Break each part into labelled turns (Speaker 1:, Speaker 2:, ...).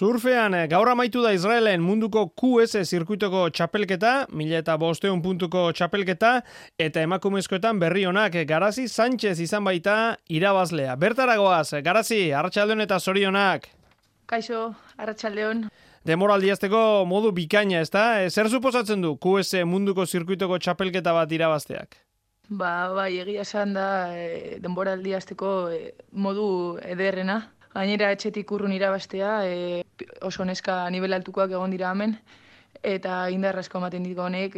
Speaker 1: Surfean, gaur amaitu da Israelen munduko QS zirkuitoko txapelketa, 1500 puntuko txapelketa, eta emakumezkoetan berri honak, Garazi Sánchez izan baita irabazlea. Bertaragoaz, Garazi, arratsaldeon eta zorionak.
Speaker 2: Kaixo, arratsaldeon.
Speaker 1: Demoraldiazteko modu bikaina, ezta? Zer suposatzen du QS munduko zirkuitoko txapelketa bat irabazteak?
Speaker 2: Bai, egia esan da denboraldiazteko modu ederrena. Gainera etxetik urrun irabaztea, oso neska nivel altukoak egon dira hemen, eta indar asko ematen dit honek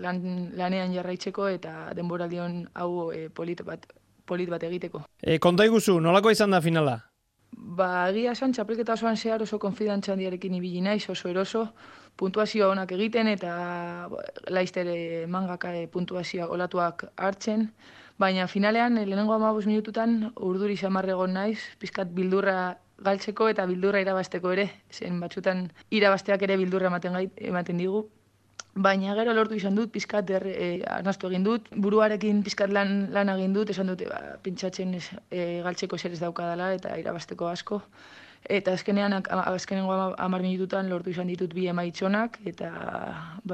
Speaker 2: lanean jarraitzeko eta denboraldion hau polit bat egiteko.
Speaker 1: Konta iguzu, nolako izan da finala?
Speaker 2: Egia esan txapelketa osoan zehar oso konfidantza handiarekin ibili naiz, oso eroso, puntuazioa onak egiten eta laizter mangaka puntuazioa olatuak hartzen, baina finalean lehenengo 15 minututan urduri xamarra egon naiz, pizkat bildurra galtzeko eta bildurra irabazteko ere, zen batzutan irabazteak ere bildurra ematen digu. Baina gero lortu izan dut, pizkat arnastu egin dut, buruarekin pizkat lan egin dut, esan dute pintxatzen galtzeko zer ez daukadala eta irabazteko asko. Eta azkenengo 10 minututan lortu izan ditut 2 emaitzonak eta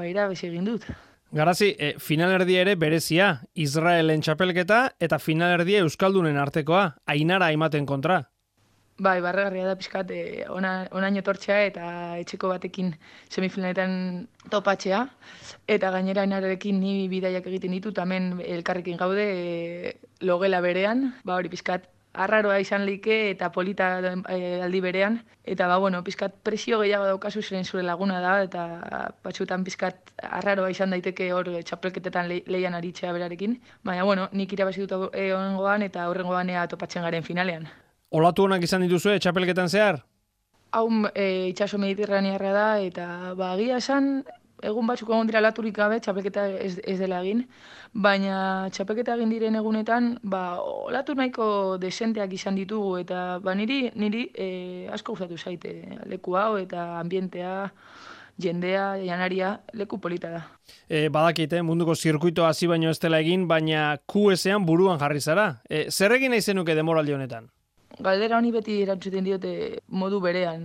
Speaker 2: irabaz egin dut.
Speaker 1: Garazi, finalerdia ere berezia, Israelen txapelketa eta finalerdia Euskaldunen artekoa, Ainara Aimaten kontra.
Speaker 2: Barregarria da pizkat onaino etortzea eta etxeko batekin semifinaletan topatzea. Eta gainera Ainararekin ni bidaiak egiten ditut, hemen elkarrekin gaude logela berean, hori pizkat arraroa izan leike eta polita aldi berean. Eta pizkat presio gehiago daukazu zeren zure laguna da eta batzutan pizkat arraroa izan daiteke hor txapelketetan leian aritzea berarekin. Baina nik irabazi dut honengoan eta horrengoan topatzen garen finalean.
Speaker 1: Olatu honak izan dituzue txapelketan zehar?
Speaker 2: Hau itsaso mediterranearra da eta egia esan egun batzuk egon dira olaturik gabe txapelketa ez dela egin, baina txapelketa egin diren egunetan olatu nahiko desenteak izan ditugu eta niri asko gustatu zaite leku hau eta ambientea, jendea, janaria, leku polita da.
Speaker 1: Badakit, munduko zirkuitoa hasi baino ez dela egin, baina QS-ean buruan jarri zara. Zer egin nahi zenuke demoraldi honetan?
Speaker 2: Galdera honi beti erantzuten diote modu berean,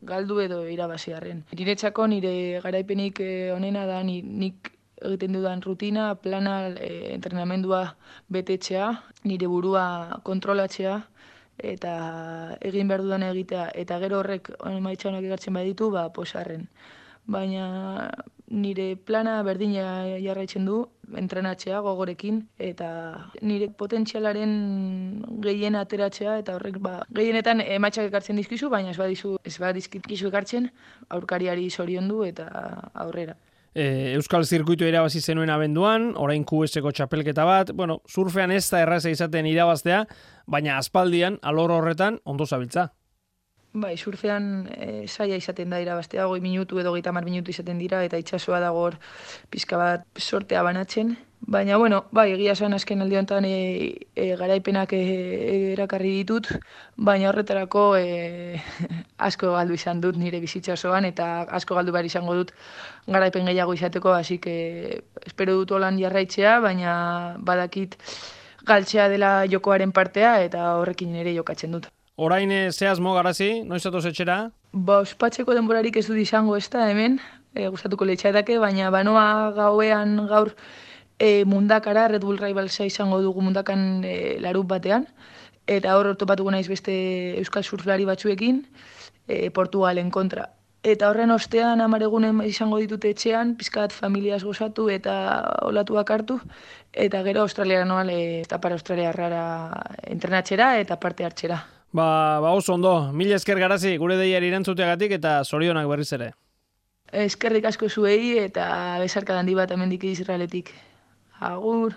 Speaker 2: galdu edo irabaziarren. Niretzako nire garaipenik onena da nik egiten dudan rutina, plana, entrenamendua betetzea, nire burua kontrolatzea eta egin behar dudan egitea eta gero horrek emaitza honak egartzen baditu, posarren. Baina nire plana berdina jarraitzen du, entrenatzea gogorekin eta nire potentzialaren gehien ateratzea eta horrek gehienetan emaitzak ekartzen dizkizu, baina ez badizkizu ekartzen aurkariari zoriondu eta aurrera.
Speaker 1: Euskal zirkuitu irabazi zenuen abenduan, orain QS-eko txapelketa bat, surfean ez da erraza izaten irabaztea, baina aspaldian alor horretan ondo zabiltza.
Speaker 2: Surfean zaila izaten da irabaztea, 20 minutu edo 30 minutu izaten dira, eta itsasoa dago hor pizka bat sortea banatzen. Baina, egia esan azken aldi honetan garaipenak erakarri ditut, baina horretarako asko galdu izan dut nire bizitzasoan, eta asko galdu behar izango dut garaipen gehiago izateko, hasi espero dut holan jarraitzea, baina badakit galtzea dela jokoaren partea, eta horrekin ere jokatzen dut.
Speaker 1: Orain zehazmo, Garazi, noiz atoz etxera?
Speaker 2: Ospatzeko denborarik ez dut izango ez da hemen, gustatuko leitzaidake, baina banoa gauean gaur mundakara, Red Bull Rivalsa izango dugu mundakan larut batean, eta hor topatuko naiz beste euskal surflari batzuekin, Portugalen kontra. Eta horren ostean 10 egunen izango ditut etxean, pizkat familiaz gozatu eta olatuak hartu, eta gero Australiara noal eta para Australiarrara entrenatxera eta parte hartxera.
Speaker 1: Oso ondo, mila esker Garazi, gure deiari erantzuteagatik eta zorionak berriz ere.
Speaker 2: Eskerrik asko zuei eta besarka handi bat hemendik Israeletik. Agur!